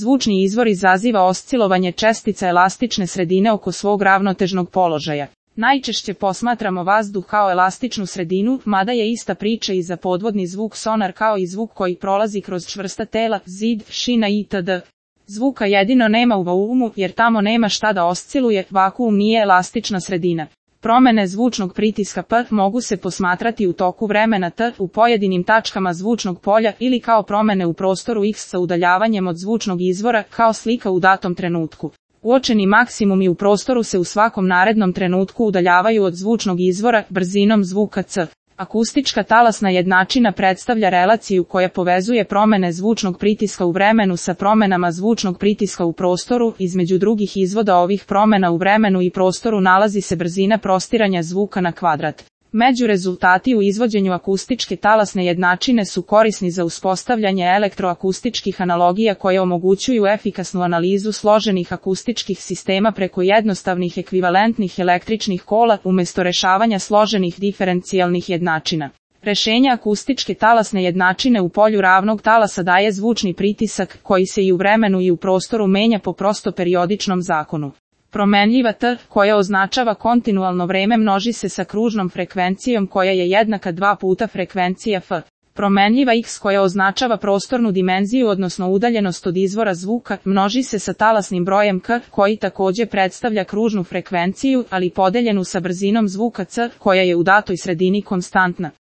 Zvučni izvor izaziva oscilovanje čestica elastične sredine oko svog ravnotežnog položaja. Najčešće posmatramo vazduh kao elastičnu sredinu, mada je ista priča i za podvodni zvuk sonar kao i zvuk koji prolazi kroz čvrsta tela, zid, šina itd. Zvuka jedino nema u vaumu jer tamo nema šta da osciluje, vakuum nije elastična sredina. Promene zvučnog pritiska P mogu se posmatrati u toku vremena T u pojedinim tačkama zvučnog polja ili kao promene u prostoru X sa udaljavanjem od zvučnog izvora kao slika u datom trenutku. Uočeni maksimumi u prostoru se u svakom narednom trenutku udaljavaju od zvučnog izvora brzinom zvuka c. Akustička talasna jednačina predstavlja relaciju koja povezuje promene zvučnog pritiska u vremenu sa promenama zvučnog pritiska u prostoru. Između drugih izvoda ovih promena u vremenu i prostoru nalazi se brzina prostiranja zvuka na kvadrat. Međurezultati u izvođenju akustičke talasne jednačine su korisni za uspostavljanje elektroakustičkih analogija koje omogućuju efikasnu analizu složenih akustičkih sistema preko jednostavnih ekvivalentnih električnih kola umjesto rešavanja složenih diferencijalnih jednačina. Rešenje akustičke talasne jednačine u polju ravnog talasa daje zvučni pritisak koji se i u vremenu i u prostoru menja po prosto periodičnom zakonu. Promenljiva T, koja označava kontinualno vreme, množi se sa kružnom frekvencijom koja je jednaka 2 puta frekvencija F. Promenljiva X, koja označava prostornu dimenziju odnosno udaljenost od izvora zvuka, množi se sa talasnim brojem K, koji također predstavlja kružnu frekvenciju, ali podeljenu sa brzinom zvuka C, koja je u datoj sredini konstantna.